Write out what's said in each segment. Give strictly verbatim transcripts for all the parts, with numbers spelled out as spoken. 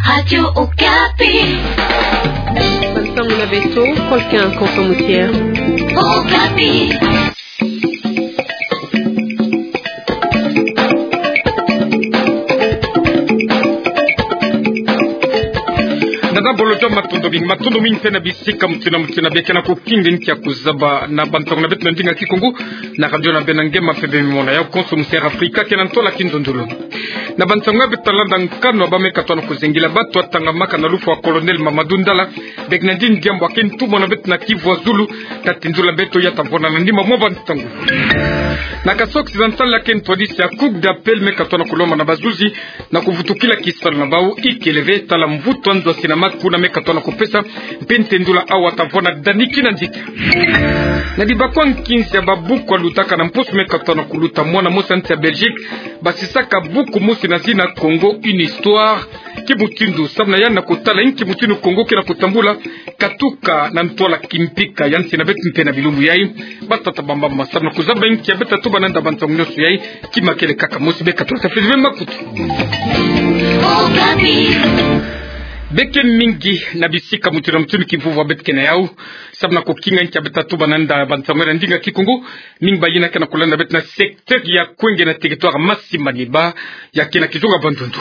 Radio Okapi. Bansango na beto, Colquin Koko Moutier. Okapi. Nada bolo jo matondo mingi, matondo mingi mpe na bisika mutinu na mutinu bie ke na kukinga nkia kuzaba na bansango na beto na ndinga Kikongo, na radio na beno nge mpe bemimona ya konso mu Sierra Africa ke na ntola kinzonzolo. Na bansango ya beto talanda nkanu ya bameka tona kuzengila bato ya tangamaka na lufwa Colonel Mamadou Ndala, Bernardine Diambu ake ntumwa na beto na Kivu ya Zulu, ta tindula beto ya ta vwanda na nima mwa bansango. Na kasokisa nsala ke ntwadisi ya Cour d'appel meka tona kulomba na bazuzi na kuvutukila kisalu na bau ikele ve tala mvutu ya nzasi na maku na meka tona kupesa, mpe ntendula awa ta vwanda daniki na ndika. Na dibakwa nkinzi ya babuku ya lutaka na mposo meka tona kuluta, mwana mosi ya nsi ya Belgique basisaka buku mosi na zina Congo, une histoire, kimutindu samu na yandi na kutala inki mutindu Congo ke na kutambula katuka na ntwala kimpika ya nsi na beto mpe na bilumbu yai. Batata bamama, samu na kuzaba inki ya beto ta tuba na nda bansango nionso yai, kima kele kaka mosi, beka tula tafezi ve makutu. Beke mingi na bisika mutinu na mutinu kivuvwa beto ke na yau, samu na kukinga inki ya beto ta tuba na nda bansango na ndinga Kikongo. Mingi bayina ke na kulanda beto na secteur ya Kwenge na territoire Masimanima, ya ke na kizunga Bandundu.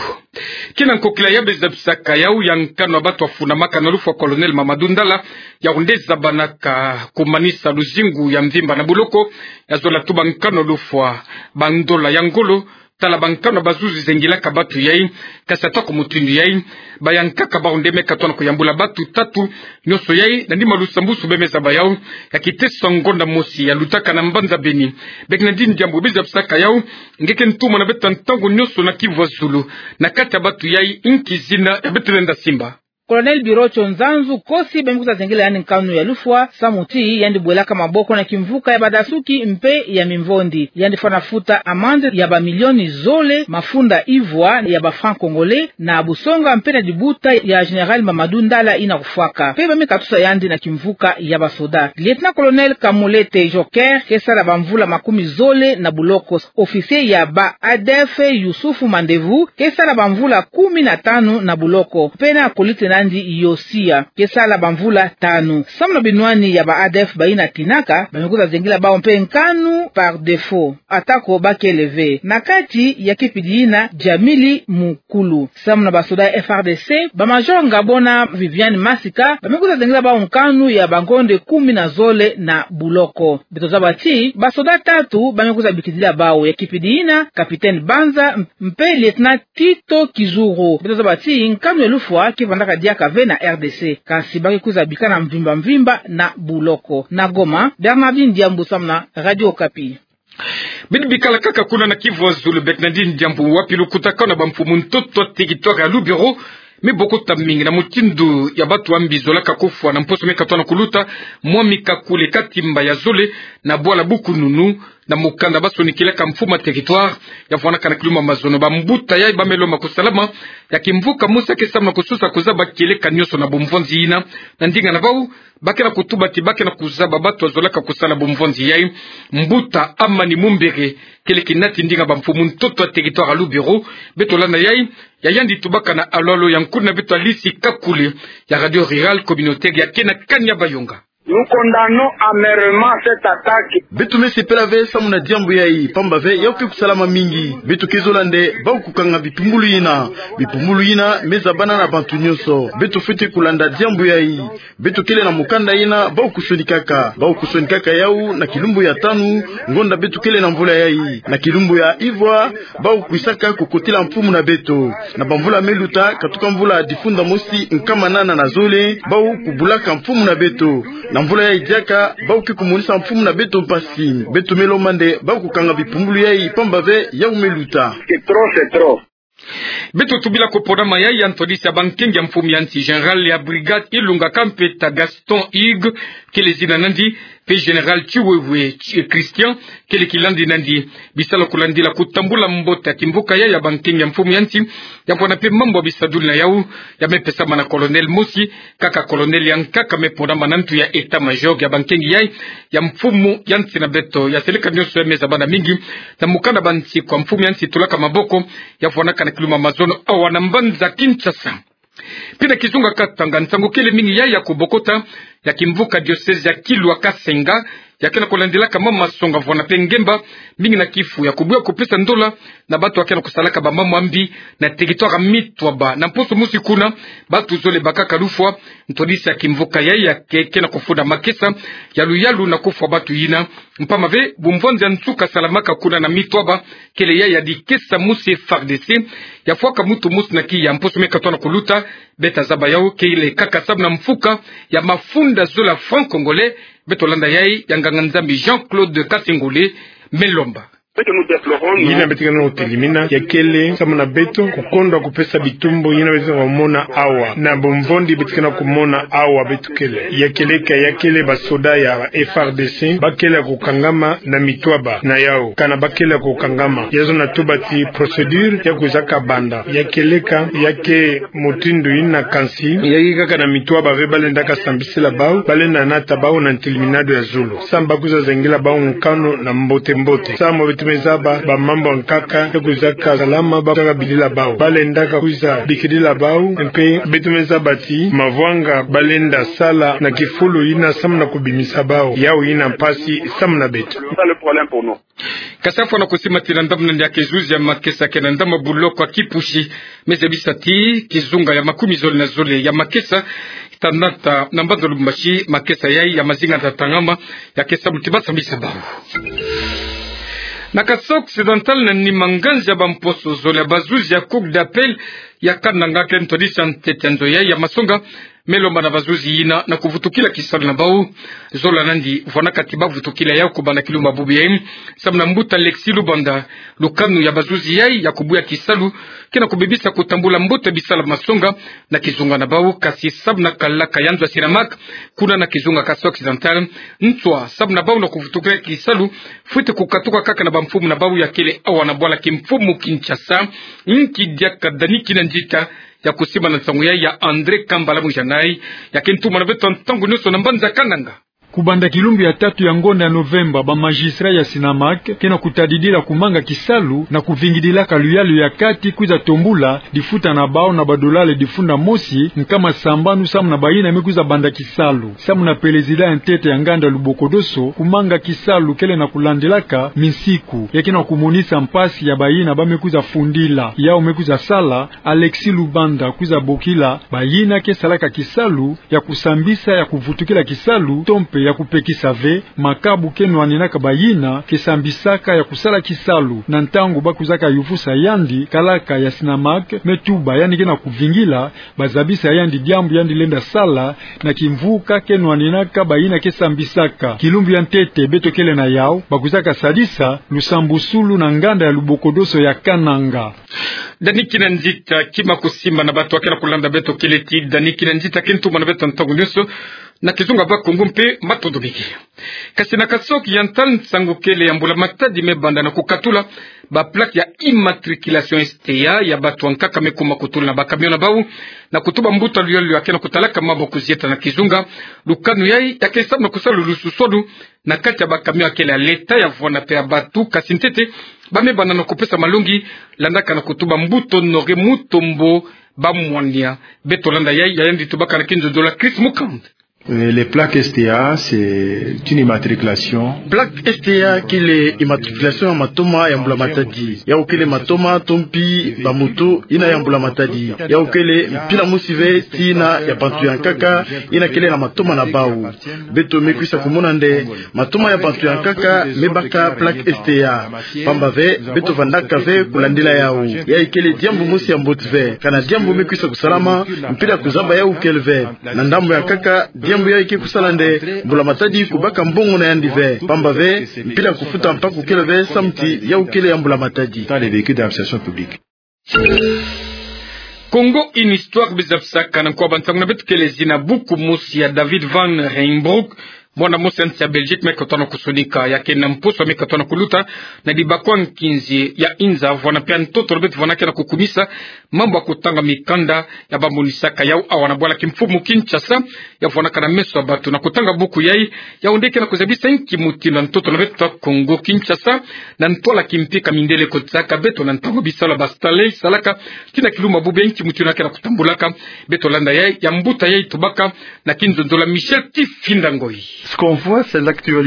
Ke na nkokila ya bezabisaka yau ya nkanu ya bato ya funamaka na lufwa Colonel Mamadou Ndala, yau nde zabanaka kumanisa luzingu ya mvimba na buloko, ya zola tuba nkanu ya lufwa bandola ya ngolo, tala bankanu ya bazuzi zengilaka bato yai, kasi ata ku mutindu yai, bayankaka bau nde meka tona kuyambula bato tatu nionso yai, na nima lusambusu beme zaba yau, ya kiteso ngonda mosi ya lutaka na mbanza Beni. Bernardine Diambu, bezabisaka yau, nge ke ntumwa na beto ntangu nionso na Kivu ya Zulu, na kati ya bato yai, inki zina ya beto lenda simba? Colonel Birocho Nzanzu Kosi, bami kwiza zengila yandi nkanu ya lufwa, samu ti yandi bwelaka maboko na kimvuka ya badasuki mpe ya mimvondi. Yandi fwana futa amande ya bamilioni zole mafunda ivwa ya ba francs congolais, na busonga mpe na dibuta ya Général Mamadou Ndala yina kufwaka. Mpe bami katusa yandi na kimvuka ya basoda. Lieutenant-colonel Kamulete Joker, ke sala bamvula makumi zole na buloko. Officier ya ba A D F Youssouf Mandevu, ke sala bamvula kumi na tanu na buloko. Mpe na kolite na yandi Yosia, ke sala bamvula tanu. Samu na binwani ya ba A D F bayina tinaka, bami kwiza zengila bau mpe nkanu par défaut, atako bakele ve. Na kati ya kipidi yina, Djamili Mukulu. Samu na basoda ya F R D C, ba major Ngabona Viviane Masika, bami kwiza zengila bau nkanu ya bangonde kumi na zole na buloko. Beto zaba ti basoda tatu bami kwiza bikidila bau, ya kipidi yina, capitaine Banza, mpe lieutenant Tito Kizuru. Beto zaba ti nkanu ya lufwa ke vandaka diaka ve na R D C, kasi ba ke kwiza bika na mvimba mvimba na buloko. Na Goma, Bernardine Diambu samu na Radio Okapi. Beno bikala kaka kuna na Kivu ya Zulu, Bernardine Diambu, wapi lukutakanu ya bamfumu ntoto ya territoire ya Lubero me bokota mingi na mutindu ya bato ya mbi zolaka kufwa na mposo meka tona kuluta, mwami kakule katimba ya zole na bwala Bukununu, na mukanda basonikilaka mfumu ya territoire, ya fwanaka na kilumbu ya mazono. Bambuta yai bame lomba kusalama ya kimvuka mosi ya ke samu na kusosa kuzaba kieleka nionso na bumvonzi yina. Na ndinga na bau, ba ke na kutuba ti ba ke na kuzaba bato ya zolaka kusala bumvonzi yai. Mbuta Amani Mumbere, kele kinati ndinga bamfumu ntoto ya territoire ya Lubero. Beto landa yai, ya yandi tubaka na alolo ya nkulu na beto Alice Kakule, ya Radio Rurale Communautaire ya ke na kani ya Bayonga. Nous condamnons amèrement cette attaque. Beto me sepela ve samu na diambu yai, pamba ve yau ke kusalama mingi. Beto ke zola nde bau kukanga bipumbulu yina. Bipumbulu yina me zabana na bantu nionso. Beto fwete kulanda diambu yai. Beto kele na mukanda yina bau kusonikaka. Bau kusonikaka yau na kilumbu ya tanu, ngonda beto kele na mvula yai. Na kilumbu ya ivwa, bau kwisaka kukotila mfumu na beto. Na bamvula me luta, katuka mvula difunda mosi nkama nana na zole, bau kubulaka mfumu na beto. Na mvula yai diaka, bau ke kumonisa mfumu na beto mpasi. Beto me lomba nde bau kukanga bipumbulu yai, pamba ve yau me luta. C'est trop, c'est trop. Beto tubila ko pona ma yai ya ntwadisi ya bankengi ya mfumu ya nsi, général ya brigade Ilunga Kampeta Gaston Hugues, kele zina na yandi, mpe général Tshiwewe Tshi-, Christian, kele kilandi na yandi. Bisalu kulandila kutambula mbote ya kimvuka yai ya bankengi ya mfumu ya nsi, ya fwana mpe mambu ya bisadulu na yau, ya me pesama na colonel mosi, kaka colonel ya nkaka me ponama na ntu ya état-major ya bankengi yai ya mfumu ya nsi na beto. Ya seleka nionso ya me zabana mingi na mukanda bansi kwa mfumu ya nsi tulaka maboko, ya fwanaka na kilumbu ya mazono awa na mbanza Kinshasa. Mpe na kizunga Katanga, nsangu kele mingi yai ya kobokota ya kimvuka diocèse ya Kilwa Kasenga, ya ke na kolandilaka mama songa vwanda mpe ngemba mingi na kifu ya kobuya kopesa ndola na bantu ya ke na kosalaka bamambu ya mbi na territoire Mitwaba. Na mposo mosi kuna, bantu zole bakaka lufwa, ntwadisi ya kimvuka yai ya ke, ke na kofunda makesa ya luyalu na kofwa bantu yina. Mpamba ve, bumvwanzi ya nsuka salamaka kuna na Mitwaba, kele yai ya dikesa mosi F A R D C, ya fwaka muntu mosi na kiya mposo me katwa na kuluta. Beta zaba yau kele kaka samu na mfuka ya mafunda zola franc congolais. Beto landa yai ya nganga-Nzambi Jean-Claude Kasengole Melomba. Yina beto ke na kotelimina, ya kele samu na beto kukondwa kupesa bitumbu yina beto ke na komona awa. Na bumvwanzi beto ke na komona awa beto kele. Ya kele ka, ya kele basoda ya F A R D C, ba kele ya kukangama na Mitwaba na yau. Kana ba kele ya kukangama, ya zonza tuba ti procédure ya kwiza kabanda. Ya kele ka, ya ke mutindu yina kansi, ya ke kaka na Mitwaba ve ba lenda kasambisila bau, ba lenda nata bau na ntelimina ya zulu. Samu ba kwiza zengela bau nkanu na mbote-mbote. Samu beto me zaba bamambu ya nkaka ya kwiza kasalama, ba kwiza kabilila bau. Ba lenda kakwiza bikidila bau, mpe beto me zaba ti mavwanga ba lenda sala na kifulu yina samu na kubimisa bau. Yau yina mpasi samu na beto. Kasi afwa na kusimatila ndambu na ndia ke zuzi ya makesa ke na ndambu buloko ya Kipushi, me zabisa ti kizunga ya makumi zole na zole ya makesa ta nata na mbanza Lubumbashi, makesa yai ya mazinga ta tangama, ya ke samu ti ba sambisa bau. Na Kasaï Occidental, na nima nganzi ya bamposo zole ya bazuzi ya Cour d'appel ya Kananga ke ntwadisa ntete ya nzo yai ya masonga, me lomba na bazuzi yina na kuvutukila kisalu na bau. Zola nandi vwanaka ti ba vutukila yau kubanda kilumbu bubu yai, samu na mbuta Alexis Lubanda. Lukanu ya bazuzi yai ya kubuya kisalu ke na kubebisa kutambula mbote bisala masonga na kizunga na bau, kasi samu na kalaka ya nzo ya Sinamak kuna na kizunga Kasaï Occidental, nswa samu na bau na kuvutukila kisalu fwete kukatuka kaka na bamfumu na bau ya kele awa na bwala kimfumu Kinshasa. Nki diaka Dani Kinanzita ya kusiba na nsangu yai ya André Kambala Mujanai, ya ke ntumana beto ntangu nyonso na mbanza Kananga. Kubanda kilumbu ya tatu ya ngonda ya Novemba, ba magistrat ya Sinamak ke na kutadidila kumanga kisalu na kuvingidilaka luyalu ya kati kwiza tombula difuta na bau na badolale difunda mosi nkama sambanu samu na bayina me kwiza banda kisalu. Samu na pelezida ya ntete ya nganda Lubokodoso, kumanga kisalu kele na kulandilaka minsiku. Ya ke na kumonisa mpasi ya bayina ba me kwiza fundila. Yau me kwiza sala, Alexis Lubanda kwiza bokila bayina ke salaka kisalu ya kusambisa, ya kuvutukila kisalu, to mpe ya kupekisa ve makabu ke nwaninaka bayina ke sambisaka ya kusala kisalu. Na ntangu ba kwizaka yuvusa yandi, kalaka ya Sinamak me tuba yandi ke na kuvingila bazabisa yandi diambu yandi lenda sala na kimvuka ke nwaninaka bayina ke sambisaka. Kilumbu ya ntete beto kele na yau, ba kwizaka sadisa lusambusulu na nganda ya Lubokodoso ya Kananga. Dani Kinanzita, kima kusiba na bato ya ke na kulanda beto kele ti Dani Kinanzita ke ntumana beto ntangu nyonso na kizunga Bakongo mpe matondo mingi. Kasi na Kasaï Oriental, nsangu kele ya mbula matadi me banda na kukatula ba plaque ya immatriculation S T A ya bato ya nkaka me kuma kutula na ba camion na bau, na kutuba mbuta luyalu ya ke na kutalaka mambu kuzieta na kizunga. Lukanu yai ya ke samu na kusala lususulu na kati ya ba camion ya kele ya leta, ya vwanda mpe ya bato, kasi ntete ba me banda na kupesa malongi, landaka na kutuba mbuta Honoré Mutombo Bamwania. Beto landa yai, ya yandi tubaka na kinzonzolo ya Chris Mukand. Euh, les plaques S T A, c'est une immatriculation. Plaque S T A kele immatriculation ya matoma ya mbula matadi. Yau kele matoma to mpi ba moto yina ya mbula matadi. Yau kele mpila mosi ve ti yina ya bantu ya nkaka yina kele na matoma na bau. Beto me kwisa kumona nde matoma ya bantu ya nkaka me baka plaque S T A. Pamba ve, beto vandaka ve kulandila yau. Yai kele diambu mosi ya mbote ve. Kana diambu me kwisa kusalama, mpila kuzaba yau kele ve. Na ndambu ya nkaka, diambu yai ke kusala nde mbula matadi kubaka mbongo na yandi ve. Pamba ve, mpila kufuta mpaku kele ve, samu ti yau kele ya mbula matadi. Dans les véhicules d'administration publique. Congo, une histoire, bizabisaka na nkwa ba ntangu na beto kele zina buku mosi ya David Van Reijnbrouck, mwana-mosi ya nsi ya Belgique me kotwana kusonika, ya kena mposo me kotwana kuluta na dibakwa nkinzi ya Inza, vwana pia ntoto na beto vwana ke na kukumisa mambu ya kutanga mikanda ya bamonisaka yau awa na bwala kimfumu Kinshasa, ya vwanaka na meso ya bato na kutanga buku yai, yau nde ke na kuzabisa inki mutindu ya ntoto na beto Kongo Kinshasa, na ntwala kimpi ka mindele kotisaka beto na ntangu bisalu ya ba Stanley salaka, tii na kilumbu bubu, inki mutindu ya ke na kutambulaka. Beto landa yai, ya mbuta yai tubaka na kinzonzolo ya Michel Kifinda Ngoi.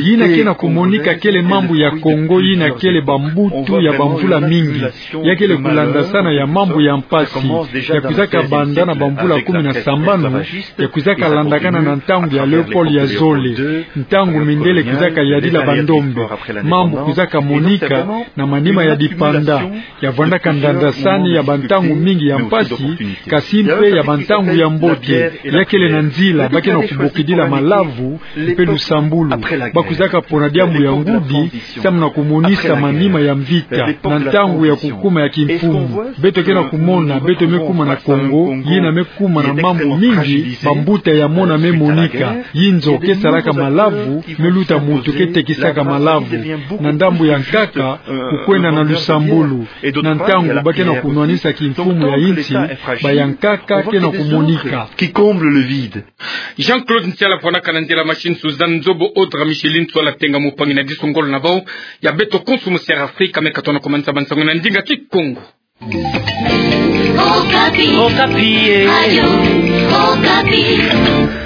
Yina ke na kumonika kele mambu ya Kongo yina kele bambuta ya bamvula mingi. Ya kele kulandasana ya mambu ya mpasi. Ya kwizaka banda na bamvula kumi na sambanu, ya kwizaka landakana na ntangu ya Léopold ya zole, ntangu mindele kwizaka yadila bandombe. Mambu kwizaka monika na manima ya dipanda, ya vwandaka ndandasani ya bantangu mingi ya mpasi, kasi mpe ya bantangu ya mbote. Ya kele na nzila ba ke na kubokidila malavu mpe lusambulu. Ba kwizaka pona diambu ya ngudi, samu na kumonisa manima ya mvita na ntangu ya kukuma ya kimfumu. Beto ke na kumona, beto me kuma na Kongo, yina me kuma na mambu mingi bambuta ya mona me monika. Yinzo ke salaka malavu, me luta muntu ke tekisaka malavu. Na ndambu ya nkaka, kukwenda na lusambulu. Na ntangu ba ke na kunwanisa kimfumu ya insi, ba ya nkaka ke na kumonika. Jean-Claude Ntiala, vwanaka na nzila machine, Suzanne Nzobo, Audra Micheline Nsuala Tenga, mopangi na disu ngolo na bau ya beto konso mu Sierra Afrika, me kotwana kumanisa bansangu na ndinga Kikongo. Okapi. Okapi, eh. Radio Okapi.